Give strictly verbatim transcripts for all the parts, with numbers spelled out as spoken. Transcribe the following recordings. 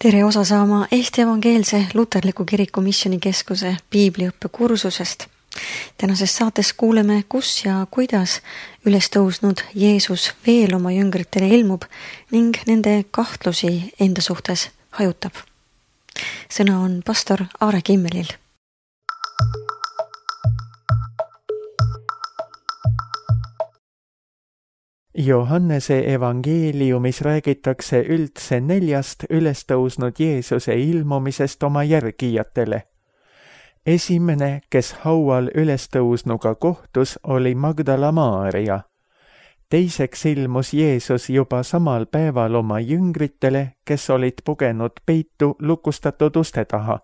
Tere osa saama Eesti Evangeelse Luterliku Kiriku Missioonikeskuse piibliõppe kursusest. Tänases saates kuuleme, kus ja kuidas üles tõusnud Jeesus veel oma jüngritele ilmub ning nende kahtlusi enda suhtes hajutab. Sõna on pastor Aare Kimmelil. Johannese evangeeliumis räägitakse üldse neljast ülestõusnud Jeesuse ilmumisest oma järgijatele. Esimene, kes haual ülestõusnuga kohtus, oli Magdala Maarja. Teiseks ilmus Jeesus juba samal päeval oma jüngritele, kes olid pugenud peitu lukustatud uste taha.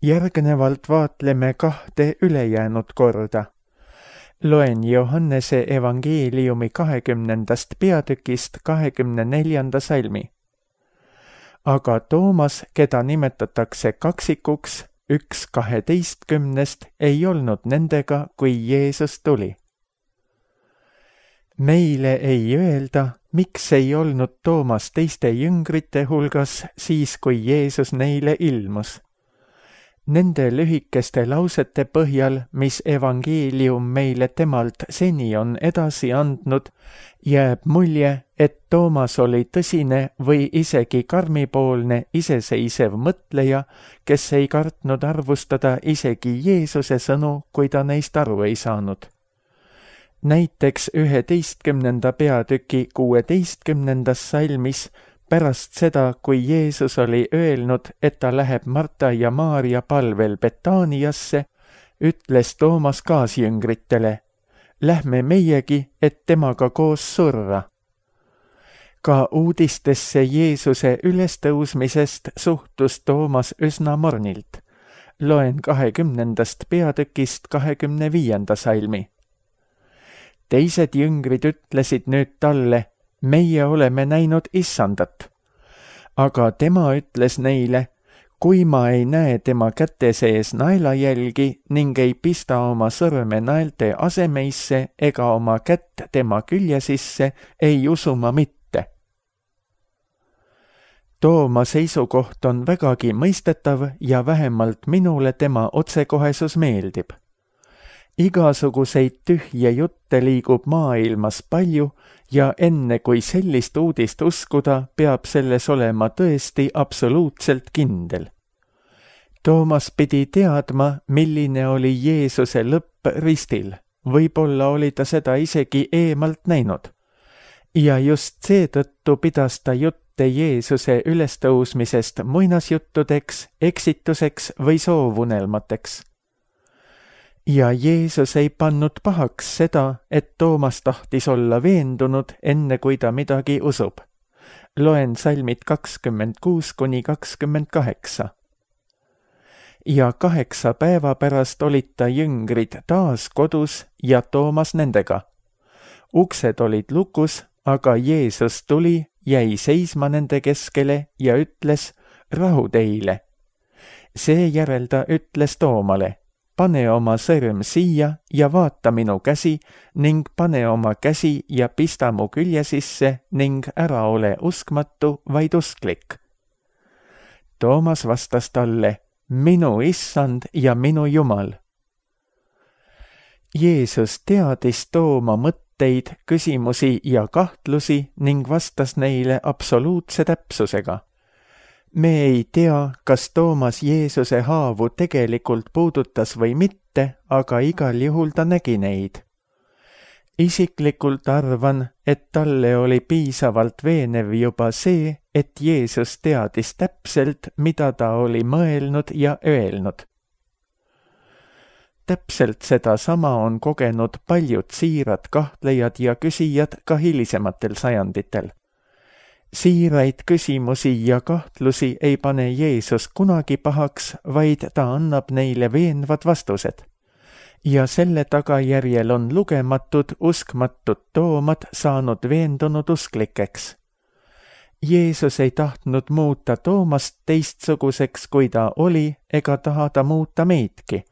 Järgnevalt vaatleme kahte ülejäänud korda. Loen Johannese evangeeliumi kahekümnendast peatükist kahekümne neljanda salmi. Aga Toomas, keda nimetatakse kaksikuks, üks kaheteistkümnest, ei olnud nendega, kui Jeesus tuli. Meile ei öelda, miks ei olnud Toomas teiste jüngrite hulgas siis, kui Jeesus neile ilmus. Nende lühikeste lausete põhjal, mis evangeelium meile temalt seni on edasi andnud, jääb mulje, et Toomas oli tõsine või isegi karmipoolne iseseisev mõtleja, kes ei kartnud arvustada isegi Jeesuse sõnu, kui ta neist aru ei saanud. Näiteks üheteistkümnenda peatüki kuueteistkümnendas salmis pärast seda, kui Jeesus oli öelnud, et ta läheb Marta ja Maarja palvel Betaaniasse, ütles Toomas kaasjüngritele, lähme meiegi, et temaga koos surra. Ka uudistesse Jeesuse ülestõusmisest suhtus Toomas üsna mornilt. Loen kahekümnendast peatükist kahekümne viienda salmi. Teised jüngrid ütlesid nüüd talle, meie oleme näinud issandat. Aga tema ütles neile, kui ma ei näe tema käte sees naelajälgi ning ei pista oma sõrme naelte asemeisse ega oma kätt tema külje sisse, ei usu ma mitte. Tooma seisukoht on vägagi mõistetav ja vähemalt minule tema otsekohesus meeldib. Igasuguseid tühje jutte liigub maailmas palju ja enne kui sellist uudist uskuda, peab selles olema tõesti absoluutselt kindel. Toomas pidi teadma, milline oli Jeesuse lõpp ristil. Võib-olla oli ta seda isegi eemalt näinud. Ja just seetõttu pidas ta jutte Jeesuse ülestõusmisest muinasjuttudeks, eksituseks või soovunelmateks. Ja Jeesus ei pannud pahaks seda, et Toomas tahtis olla veendunud, enne kui ta midagi usub. Loen salmid kakskümmend kuus kuni kakskümmend kaheksa. Ja kaheksa päeva pärast olid ta jüngrid taas kodus ja Toomas nendega. Uksed olid lukus, aga Jeesus tuli, jäi seisma nende keskele ja ütles, rahu teile. Seejärel ta ütles Toomale, pane oma sõrm siia ja vaata minu käsi ning pane oma käsi ja pista mu külje sisse ning ära ole uskmatu, vaid usklik. Toomas vastas talle, minu issand ja minu Jumal. Jeesus teadis Tooma mõtteid, küsimusi ja kahtlusi ning vastas neile absoluutse täpsusega. Me ei tea, kas Toomas Jeesuse haavu tegelikult puudutas või mitte, aga igal juhul ta nägi neid. Isiklikult arvan, et talle oli piisavalt veenev juba see, et Jeesus teadis täpselt, mida ta oli mõelnud ja öelnud. Täpselt seda sama on kogenud paljud siirad kahtlejad ja küsijad ka hilisematel sajanditel. Siiraid küsimusi ja kahtlusi ei pane Jeesus kunagi pahaks, vaid ta annab neile veenvad vastused. Ja selle tagajärjel on lugematud uskmatud Toomad saanud veendunud usklikeks. Jeesus ei tahtnud muuta Toomast teistsuguseks, kui ta oli, ega taha ta muuta meidki.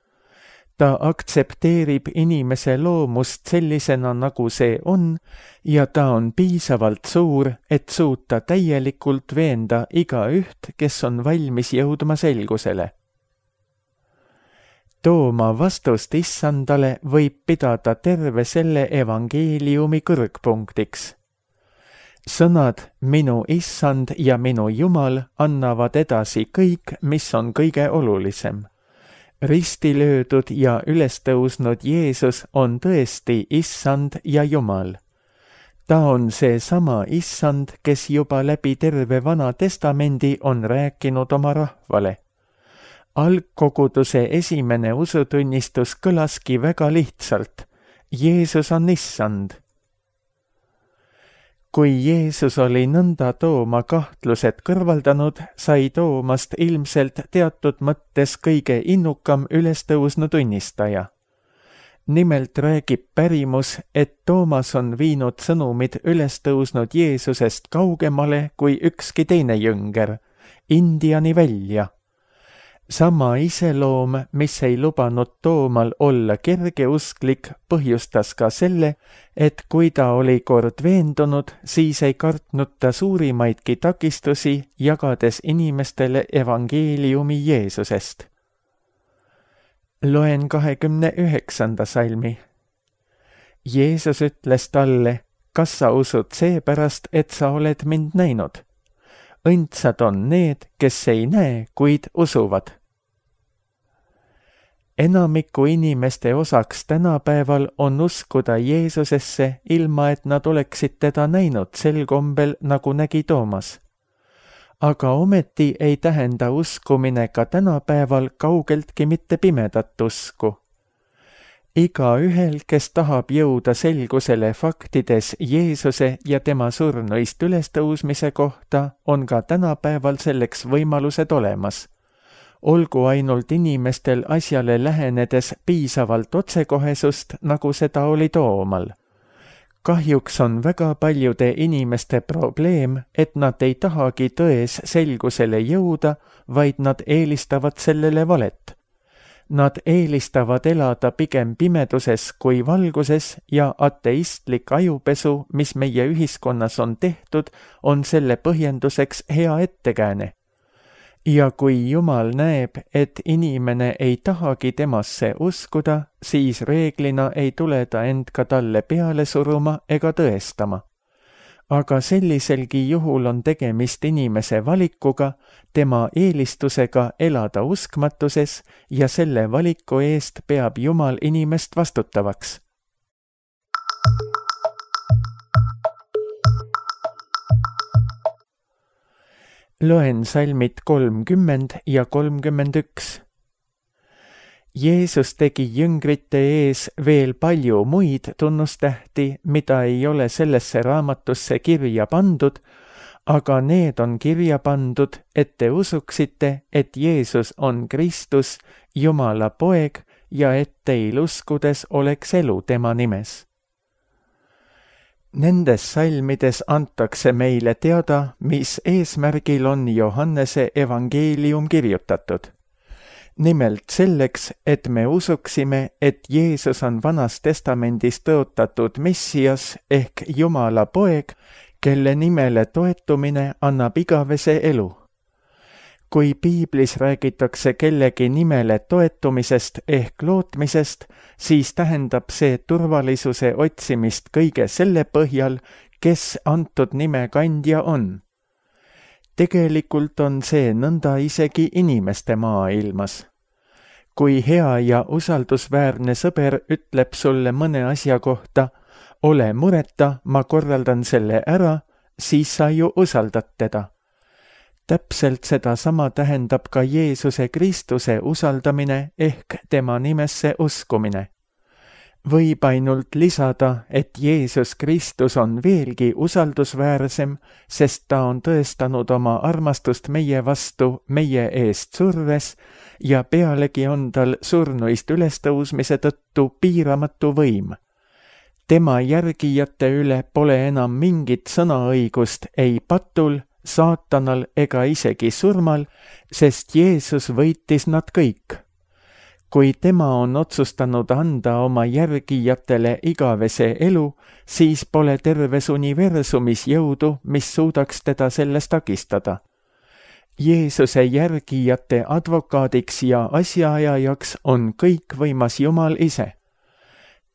Ta aktsepteerib inimese loomust sellisena, nagu see on, ja ta on piisavalt suur, et suuta täielikult veenda igaüht, kes on valmis jõudma selgusele. Tooma vastust issandale võib pidada terve selle evangeeliumi kõrgpunktiks. Sõnad "minu issand ja minu Jumal" annavad edasi kõik, mis on kõige olulisem. Ristilöödud ja ülestõusnud Jeesus on tõesti issand ja Jumal. Ta on seesama issand, kes juba läbi terve Vana Testamendi on rääkinud oma rahvale. Algkoguduse esimene usutunnistus kõlaski väga lihtsalt. Jeesus on issand. Kui Jeesus oli nõnda Tooma kahtlused kõrvaldanud, sai Toomast ilmselt teatud mõttes kõige innukam ülestõusnu tunnistaja. Nimelt räägib pärimus, et Toomas on viinud sõnumid ülestõusnud Jeesusest kaugemale kui ükski teine jünger, Indiani välja. Sama iseloom, mis ei lubanud Toomal olla kergeusklik, põhjustas ka selle, et kui ta oli kord veendunud, siis ei kartnud ta suurimaidki takistusi, jagades inimestele evangeeliumi Jeesusest. Loen kahekümne üheksanda salmi. Jeesus ütles talle, kas sa usud seepärast, et sa oled mind näinud? Õndsad on need, kes ei näe, kuid usuvad. Enamiku inimeste osaks tänapäeval on uskuda Jeesusesse, ilma et nad oleksid teda näinud sel kombel, nagu nägi Toomas. Aga ometi ei tähenda uskumine ka tänapäeval kaugeltki mitte pimedat usku. Igaühel, kes tahab jõuda selgusele faktides Jeesuse ja tema surnuist ülestõusmise kohta, on ka tänapäeval selleks võimalused olemas. Olgu ainult inimestel asjale lähenedes piisavalt otsekohesust, nagu seda oli Toomal. Kahjuks on väga paljude inimeste probleem, et nad ei tahagi tões selgusele jõuda, vaid nad eelistavad sellele valet. Nad eelistavad elada pigem pimeduses kui valguses ja ateistlik ajupesu, mis meie ühiskonnas on tehtud, on selle põhjenduseks hea ettekääne. Ja kui Jumal näeb, et inimene ei tahagi temasse uskuda, siis reeglina ei tule ta end ka talle peale suruma ega tõestama. Aga selliselgi juhul on tegemist inimese valikuga, tema eelistusega elada uskmatuses ja selle valiku eest peab Jumal inimest vastutavaks. Loen salmid kolmkümmend ja kolmkümmend üks. Jeesus tegi jüngrite ees veel palju muid tunnustähti, mida ei ole sellesse raamatusse kirja pandud, aga need on kirja pandud, et te usuksite, et Jeesus on Kristus, Jumala poeg, ja et teil uskudes oleks elu tema nimes. Nendes salmides antakse meile teada, mis eesmärgil on Johannese evangeelium kirjutatud. Nimelt selleks, et me usuksime, et Jeesus on Vanas Testamendis tõotatud Messias ehk Jumala poeg, kelle nimele toetumine annab igavese elu. Kui piiblis räägitakse kellegi nimele toetumisest ehk lootmisest, siis tähendab see turvalisuse otsimist kõige selle põhjal, kes antud nime kandja on. Tegelikult on see nõnda isegi inimeste maailmas. Kui hea ja usaldusväärne sõber ütleb sulle mõne asja kohta, ole mureta, ma korraldan selle ära, siis sa ju usaldad teda. Täpselt seda sama tähendab ka Jeesuse Kristuse usaldamine ehk tema nimesse uskumine. Võib ainult lisada, et Jeesus Kristus on veelgi usaldusväärsem, sest ta on tõestanud oma armastust meie vastu meie eest surres ja pealegi on tal surnuist ülestõusmise tõttu piiramatu võim. Tema järgijate üle pole enam mingit sõnaõigust ei patul, saatanal ega isegi surmal, sest Jeesus võitis nad kõik. kui tema on otsustanud anda oma järgijatele igavese elu, siis pole terves universumis jõudu, mis suudaks teda selles takistada. Jeesuse järgijate advokaadiks ja asjaajajaks on kõikvõimas Jumal ise.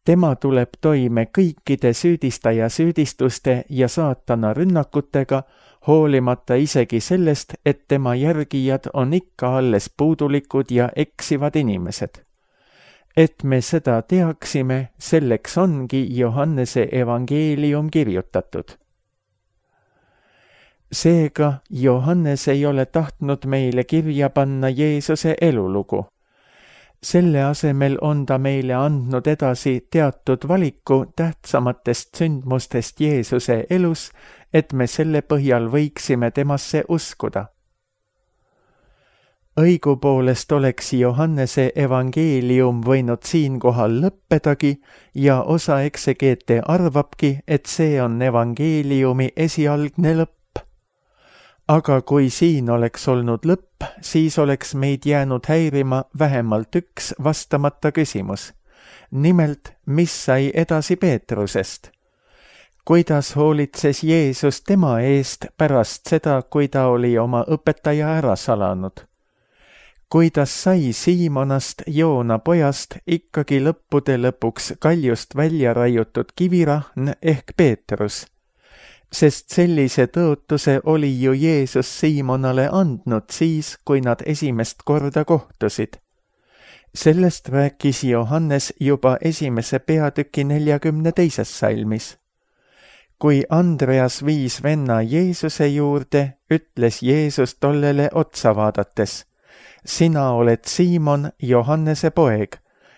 Tema tuleb toime kõikide süüdistaja süüdistuste ja saatana rünnakutega, hoolimata isegi sellest, et tema järgijad on ikka alles puudulikud ja eksivad inimesed. Et me seda teaksime, selleks ongi Johannese evangeelium kirjutatud. Seega Johannes ei ole tahtnud meile kirja panna Jeesuse elulugu. Selle asemel on ta meile andnud edasi teatud valiku tähtsamatest sündmustest Jeesuse elus, et me selle põhjal võiksime temasse uskuda. Õigupoolest oleks Johannese evangeelium võinud siinkohal lõppedagi ja osa eksegeete arvabki, et see on evangeeliumi esialgne lõpp. Aga kui siin oleks olnud lõpp, siis oleks meid jäänud häirima vähemalt üks vastamata küsimus. Nimelt, mis sai edasi Peetrusest? Kuidas hoolitses Jeesus tema eest pärast seda, kui ta oli oma õpetaja ära salanud? Kuidas sai Siimonast, Joona pojast, ikkagi lõppude lõpuks kaljust välja raiutud kivirahn ehk Peetrus? Sest sellise tõotuse oli ju Jeesus Siimonale andnud siis, kui nad esimest korda kohtusid. Sellest rääkis Johannes juba esimese peatüki neljakümne teises salmis. Kui Andreas viis venna Jeesuse juurde, ütles Jeesus tollele otsa vaadates: sina oled Siimon, Johannese poeg,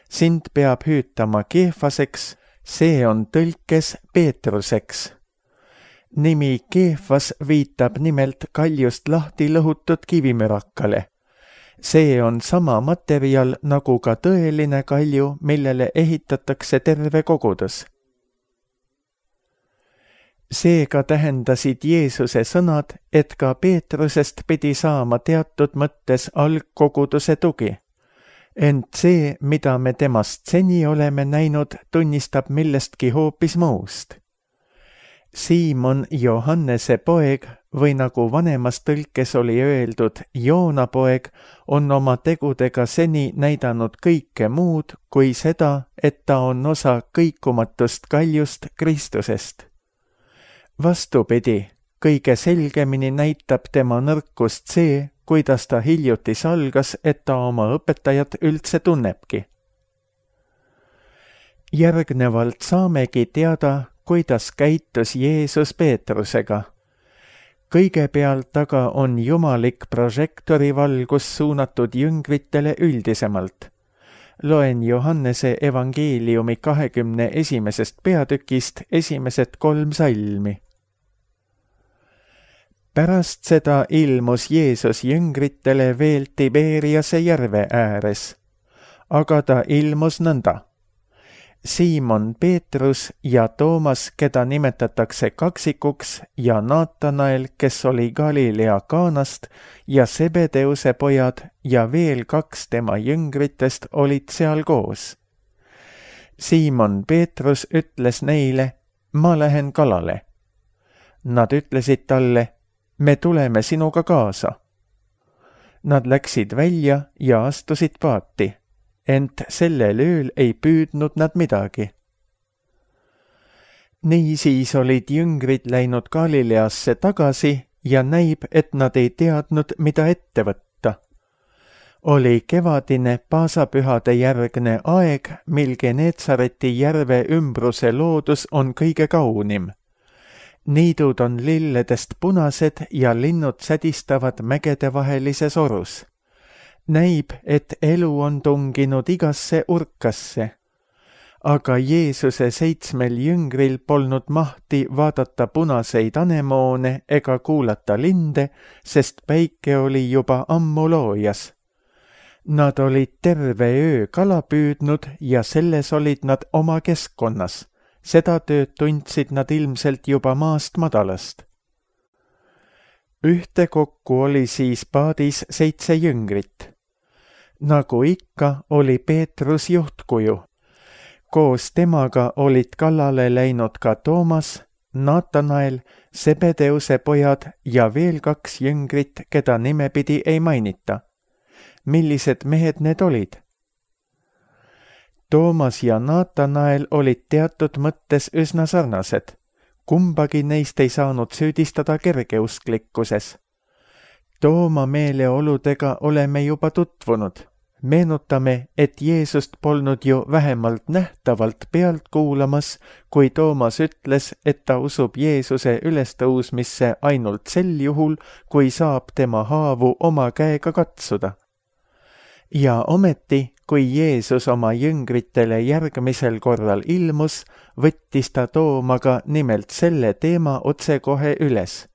sind peab hüütama Keefaseks, see on tõlkes Peetruseks. Nimi Keefas viitab nimelt kaljust lahti lõhutud kivimürakale. See on sama materjal nagu ka tõeline kalju, millele ehitatakse terve kogudus. Seega tähendasid Jeesuse sõnad, et ka Peetrusest pidi saama teatud mõttes algkoguduse tugi. Ent see, mida me temast seni oleme näinud, tunnistab millestki hoopis muust. Siimon, Johannese poeg, või nagu vanemas tõlkes oli öeldud, Joona poeg, on oma tegudega seni näidanud kõike muud kui seda, et ta on osa kõikumatust kaljust Kristusest. Vastupidi, kõige selgemini näitab tema nõrkust see, kuidas ta hiljuti salgas, et ta oma õpetajat üldse tunnebki. Järgnevalt saamegi teada, kuidas käitus Jeesus Peetrusega. Kõigepealt aga on jumalik prožektorivalgus suunatud jüngritele üldisemalt. Loen Johannese evangeeliumi kahekümne esimesest peatükist esimesed kolm salmi. Pärast seda ilmus Jeesus jüngritele veel Tiberiase järve ääres, aga ta ilmus nõnda. Siimon Peetrus ja Toomas, keda nimetatakse kaksikuks, ja Naatanael, kes oli Galilea Kaanast, ja Sebedeuse pojad ja veel kaks tema jüngritest olid seal koos. Siimon Peetrus ütles neile: ma lähen kalale. Nad ütlesid talle: me tuleme sinuga kaasa. Nad läksid välja ja astusid paati. Ent sellel ööl ei püüdnud nad midagi. Niisiis olid jüngrid läinud Galileasse tagasi ja näib, et nad ei teadnud, mida ette võtta. Oli kevadine paasapühade järgne aeg, mil Geneetsareti järve ümbruse loodus on kõige kaunim. Niidud on lilledest punased ja linnud sädistavad mägedevahelises orus. Näib, et elu on tunginud igasse urkasse. Aga Jeesuse seitsmel jüngril polnud mahti vaadata punaseid anemoone ega kuulata linde, sest päike oli juba ammu loojas. Nad olid terve öö kala püüdnud ja selles olid nad oma keskkonnas. Seda tööd tundsid nad ilmselt juba maast madalast. Ühtekokku oli siis paadis seitse jüngrit. Nagu ikka oli Peetrus juhtkuju. Koos temaga olid kallale läinud ka Toomas, Naatanael, Sebedeuse pojad ja veel kaks jüngrit, keda nimepidi ei mainita. Millised mehed need olid? Toomas ja Naatanael olid teatud mõttes üsna sarnased. Kumbagi neist ei saanud süüdistada kergeusklikkuses. Tooma meeleoludega oleme juba tutvunud. Meenutame, et Jeesust polnud ju vähemalt nähtavalt pealt kuulamas, kui Toomas ütles, et ta usub Jeesuse ülestõusmisse ainult sel juhul, kui saab tema haavu oma käega katsuda. Ja ometi, kui Jeesus oma jüngritele järgmisel korral ilmus, võttis ta Toomaga nimelt selle teema otsekohe üles.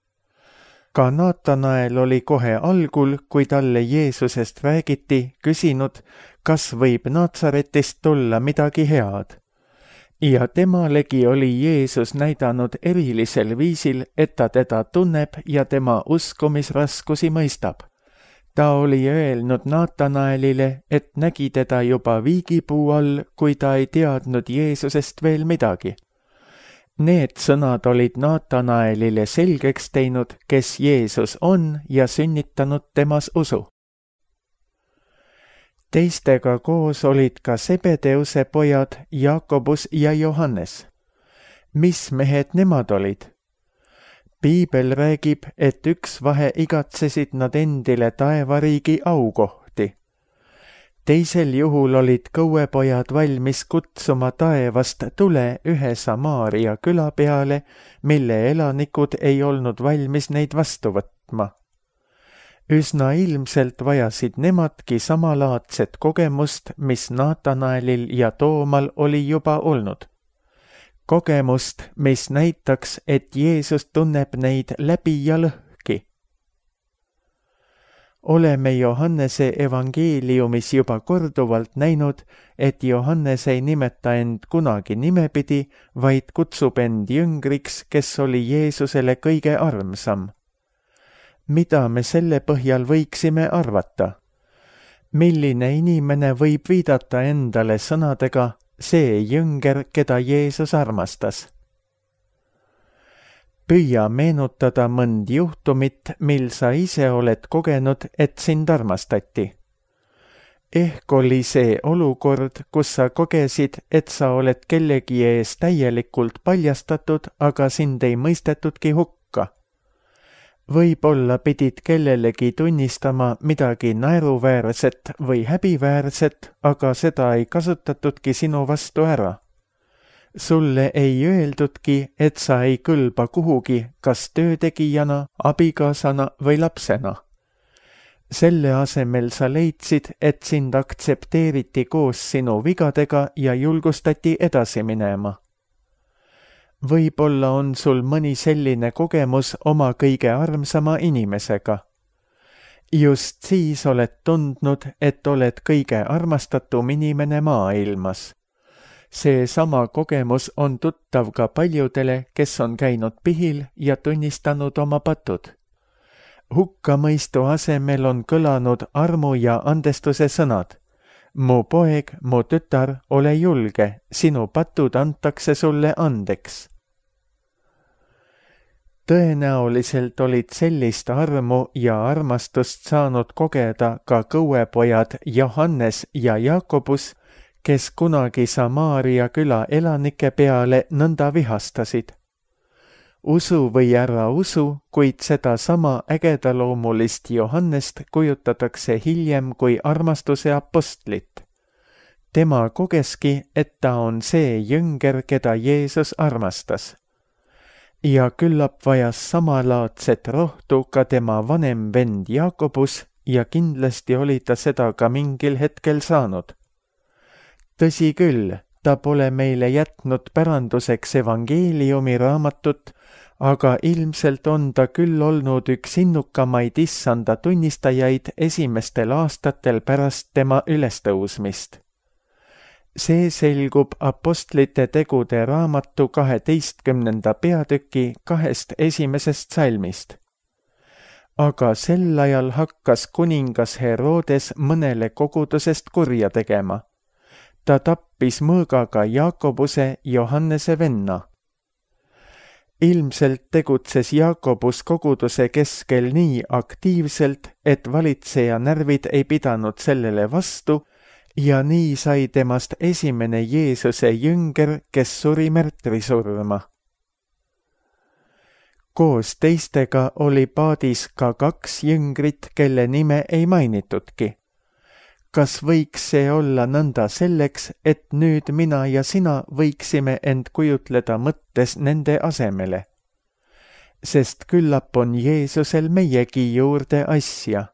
Ka Naatanael oli kohe algul, kui talle Jeesusest räägiti, küsinud, kas võib Naatsaretist tulla midagi head. Ja temalegi oli Jeesus näidanud erilisel viisil, et ta teda tunneb ja tema uskumisraskusi mõistab. Ta oli öelnud Naatanaelile, et nägi teda juba viigipuu all, kui ta ei teadnud Jeesusest veel midagi. Need sõnad olid Naatanaelile selgeks teinud, kes Jeesus on ja sünnitanud temas usu. Teistega koos olid ka Sebedeuse pojad Jakobus ja Johannes. Mis mehed nemad olid? Piibel räägib, et üks vahe igatsesid nad endile taevariigi aukohti. Teisel juhul olid kõuepojad valmis kutsuma taevast tule ühe Samaaria küla peale, mille elanikud ei olnud valmis neid vastu võtma. Üsna ilmselt vajasid nemadki samalaadset kogemust, mis Naatanaelil ja Toomal oli juba olnud. Kogemust, mis näitaks, et Jeesus tunneb neid läbi ja lõhki. Oleme Johannese evangeeliumis juba korduvalt näinud, et Johannes ei nimeta end kunagi nimepidi, vaid kutsub end jüngriks, kes oli Jeesusele kõige armsam. Mida me selle põhjal võiksime arvata? Milline inimene võib viidata endale sõnadega, see jünger, keda Jeesus armastas? Püüa meenutada mõnd juhtumit, mil sa ise oled kogenud, et sind armastati. Ehk oli see olukord, kus sa kogesid, et sa oled kellegi ees täielikult paljastatud, aga sind ei mõistetudki hukka. Võib-olla pidid kellelegi tunnistama midagi naeruväärset või häbiväärset, aga seda ei kasutatudki sinu vastu ära. Sulle ei öeldudki, et sa ei kõlba kuhugi, kas töötegijana, abikaasana või lapsena. Selle asemel sa leidsid, et sind aktsepteeriti koos sinu vigadega ja julgustati edasi minema. Võib-olla on sul mõni selline kogemus oma kõige armsama inimesega. Just siis oled tundnud, et oled kõige armastatum inimene maailmas. See sama kogemus on tuttav ka paljudele, kes on käinud pihil ja tunnistanud oma patud. Hukkamõistu asemel on kõlanud armu ja andestuse sõnad. Mu poeg, mu tütar, ole julge, sinu patud antakse sulle andeks. Tõenäoliselt olid sellist armu ja armastust saanud kogeda ka kõuepojad Johannes ja Jakobus, kes kunagi Samaaria küla elanike peale nõnda vihastasid. Usu või ära usu, kuid seda sama ägedaloomulist Johannest kujutatakse hiljem kui armastuse apostlit. Tema kogeski, et ta on see jünger, keda Jeesus armastas. Ja küllap vajas samalaadset rohtu ka tema vanem vend Jakobus ja kindlasti oli ta seda ka mingil hetkel saanud. Tõsi küll, ta pole meile jätnud päranduseks evangeeliumi raamatut, aga ilmselt on ta küll olnud üks innukamaid issanda tunnistajaid esimestel aastatel pärast tema ülestõusmist. See selgub apostlite tegude raamatu kaheteistkümnenda peatüki kahest esimesest salmist. aga sel ajal hakkas kuningas Herodes mõnele kogudusest kurja tegema. Ta tappis mõõgaga Jaakobuse, Johannese venna. Ilmselt tegutses Jaakobus koguduse keskel nii aktiivselt, et valitseja närvid ei pidanud sellele vastu ja nii sai temast esimene Jeesuse jünger, kes suri märtrisurma. Koos teistega oli paadis ka kaks jüngrit, kelle nime ei mainitudki. Kas võiks see olla nõnda selleks, et nüüd mina ja sina võiksime end kujutleda mõttes nende asemele? Sest küllap on Jeesusel meiegi juurde asja.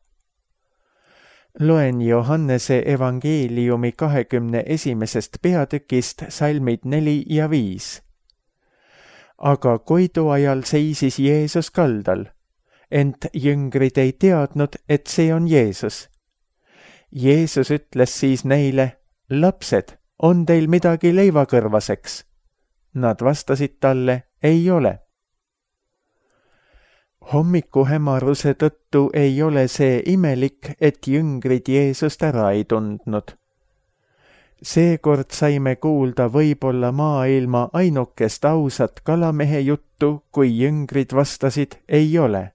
Loen Johannese evangeeliumi kahekümne esimesest peatükist salmid neli ja viis. Aga koidu ajal seisis Jeesus kaldal, ent jüngrid ei teadnud, et see on Jeesus. Jeesus ütles siis neile, lapsed, on teil midagi leivakõrvaseks? Nad vastasid talle, ei ole. Hommikuhämaruse tõttu ei ole see imelik, et jüngrid Jeesust ära ei tundnud. Seekord saime kuulda võib-olla maailma ainukest ausat kalamehe juttu, kui jüngrid vastasid, ei ole.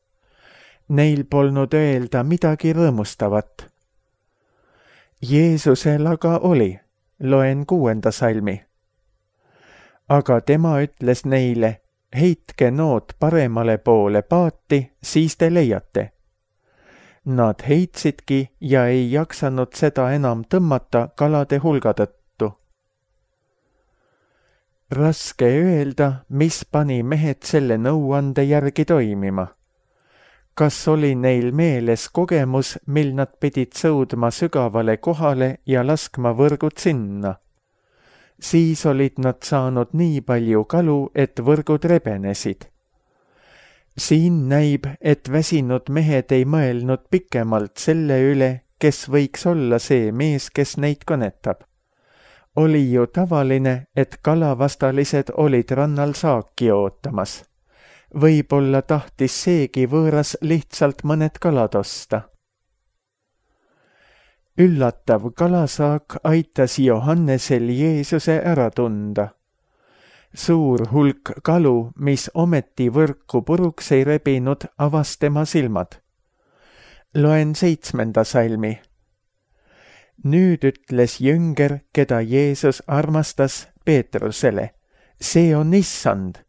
Neil polnud öelda midagi rõõmustavat. Jeesusel aga oli, loen kuuenda salmi. Aga tema ütles neile, heitke nood paremale poole paati, siis te leiate. Nad heitsidki ja ei jaksanud seda enam tõmmata kalade hulga tõttu. Raske öelda, mis pani mehed selle nõuande järgi toimima. Kas oli neil meeles kogemus, mil nad pidid sõudma sügavale kohale ja laskma võrgud sinna? Siis olid nad saanud nii palju kalu, et võrgud rebenesid. Siin näib, et väsinud mehed ei mõelnud pikemalt selle üle, kes võiks olla see mees, kes neid kõnetab. Oli ju tavaline, et kalavastalised olid rannal saaki ootamas. Võib-olla tahtis seegi võõras lihtsalt mõned kalad osta. Üllatav kalasaak aitas Johannesel Jeesuse ära tunda. Suur hulk kalu, mis ometi võrku puruks ei rebinud, avas tema silmad. Loen seitsmenda salmi. Nüüd ütles jünger, keda Jeesus armastas, Peetrusele, see on issand.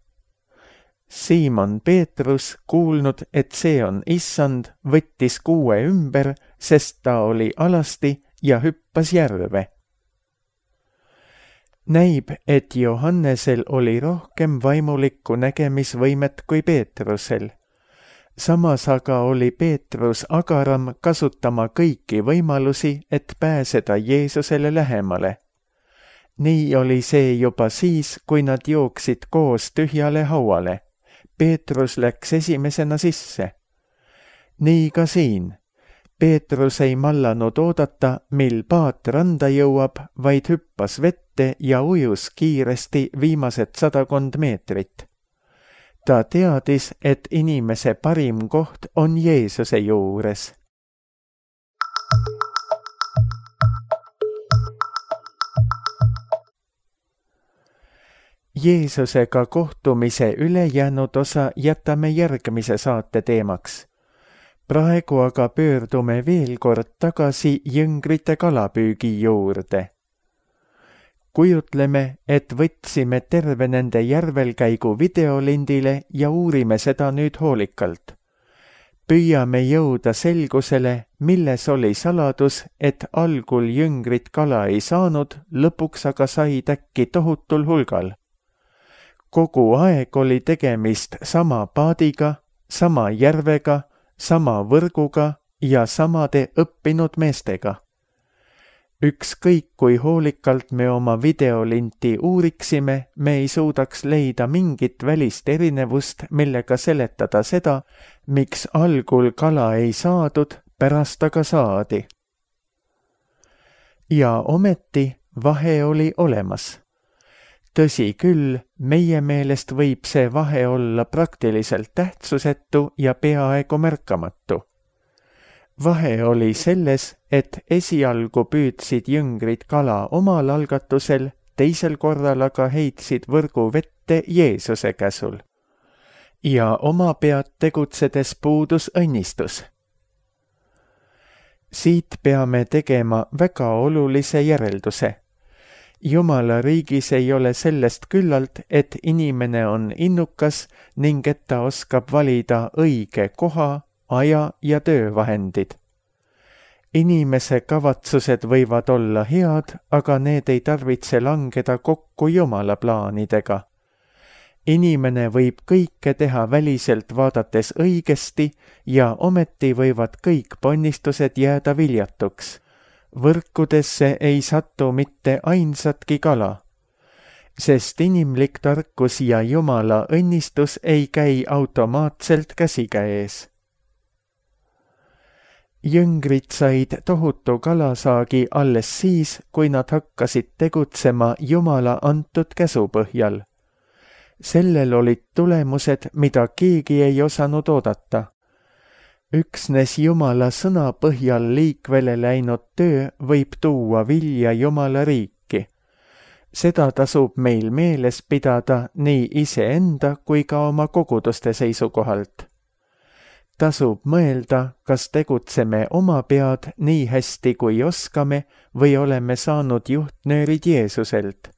Siimon Peetrus, kuulnud, et see on issand, võttis kuue ümber, sest ta oli alasti ja hüppas järve. Näib, et Johannesel oli rohkem vaimulikku nägemisvõimet kui Peetrusel. Samas aga oli Peetrus agaram kasutama kõiki võimalusi, et pääseda Jeesusele lähemale. Nii oli see juba siis, kui nad jooksid koos tühjale hauale. Peetrus läks esimesena sisse. Nii ka siin. Peetrus ei mallanud oodata, mil paat randa jõuab, vaid hüppas vette ja ujus kiiresti viimased sadakond meetrit. Ta teadis, et inimese parim koht on Jeesuse juures. Jeesusega kohtumise ülejäänud osa jätame järgmise saate teemaks. Praegu aga pöördume veel kord tagasi jüngrite kalapüügi juurde. Kujutleme, et võtsime terve nende järvelkäigu videolindile ja uurime seda nüüd hoolikalt. Püüame jõuda selgusele, milles oli saladus, et algul jüngrid kala ei saanud, lõpuks aga said äkki tohutul hulgal. Kogu aeg oli tegemist sama paadiga, sama järvega, sama võrguga ja samade õppinud meestega. Ükskõik kui hoolikalt me oma videolinti uuriksime, me ei suudaks leida mingit välist erinevust, millega seletada seda, miks algul kala ei saadud, pärast aga saadi. Ja ometi vahe oli olemas. Tõsi küll, meie meelest võib see vahe olla praktiliselt tähtsusetu ja peaaegu märkamatu. Vahe oli selles, et esialgu püüdsid jüngrid kala omal algatusel, teisel korral aga heitsid võrgu vette Jeesuse käsul. Ja oma pead tegutsedes puudus õnnistus. Siit peame tegema väga olulise järelduse. Jumala riigis ei ole sellest küllalt, et inimene on innukas ning et ta oskab valida õige koha, aja ja töövahendid. Inimese kavatsused võivad olla head, aga need ei tarvitse langeda kokku Jumala plaanidega. Inimene võib kõike teha väliselt vaadates õigesti ja ometi võivad kõik ponnistused jääda viljatuks. Võrkudesse ei satu mitte ainsatki kala, sest inimlik tarkus ja Jumala õnnistus ei käi automaatselt käsikäes. Jüngrid said tohutu kalasaagi alles siis, kui nad hakkasid tegutsema Jumala antud käsu põhjal. Sellel olid tulemused, mida keegi ei osanud oodata. Üksnes Jumala sõna põhjal liikvele läinud töö võib tuua vilja Jumala riiki. Seda tasub meil meeles pidada nii iseenda kui ka oma koguduste seisukohalt. Tasub mõelda, kas tegutseme oma pead nii hästi kui oskame või oleme saanud juhtnöörid Jeesuselt.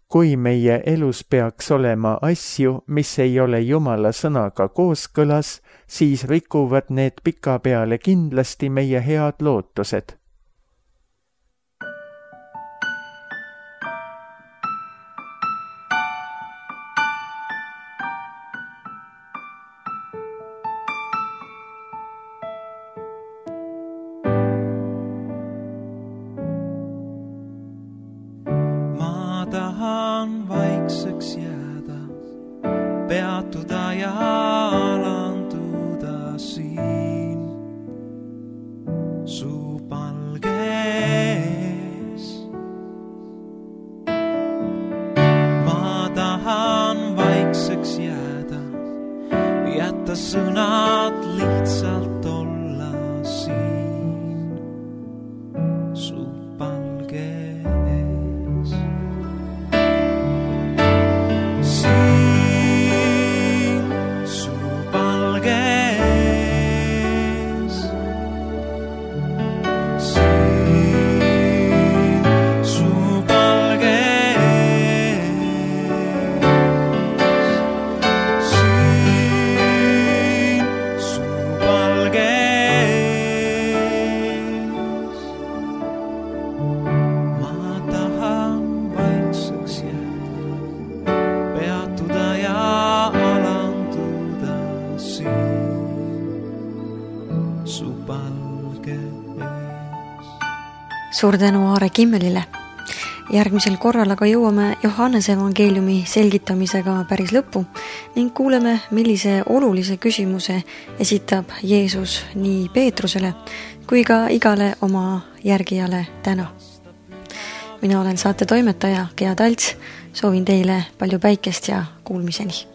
Kui meie elus peaks olema asju, mis ei ole Jumala sõnaga kooskõlas, siis rikuvad need pikapeale kindlasti meie head lootused. Tahan vaikseks jääda, peatuda ja alanduda siin su palges. Ma tahan vaikseks jääda, jätta sõnad lihtsalt olla siin su palges. Suur tänu Aare Kimmelile. Järgmisel korral aga jõuame Johannese evangeeliumi selgitamisega päris lõppu ning kuuleme, millise olulise küsimuse esitab Jeesus nii Peetrusele kui ka igale oma järgijale täna. Mina olen saate toimetaja Gea Talts, soovin teile palju päikest ja kuulmiseni.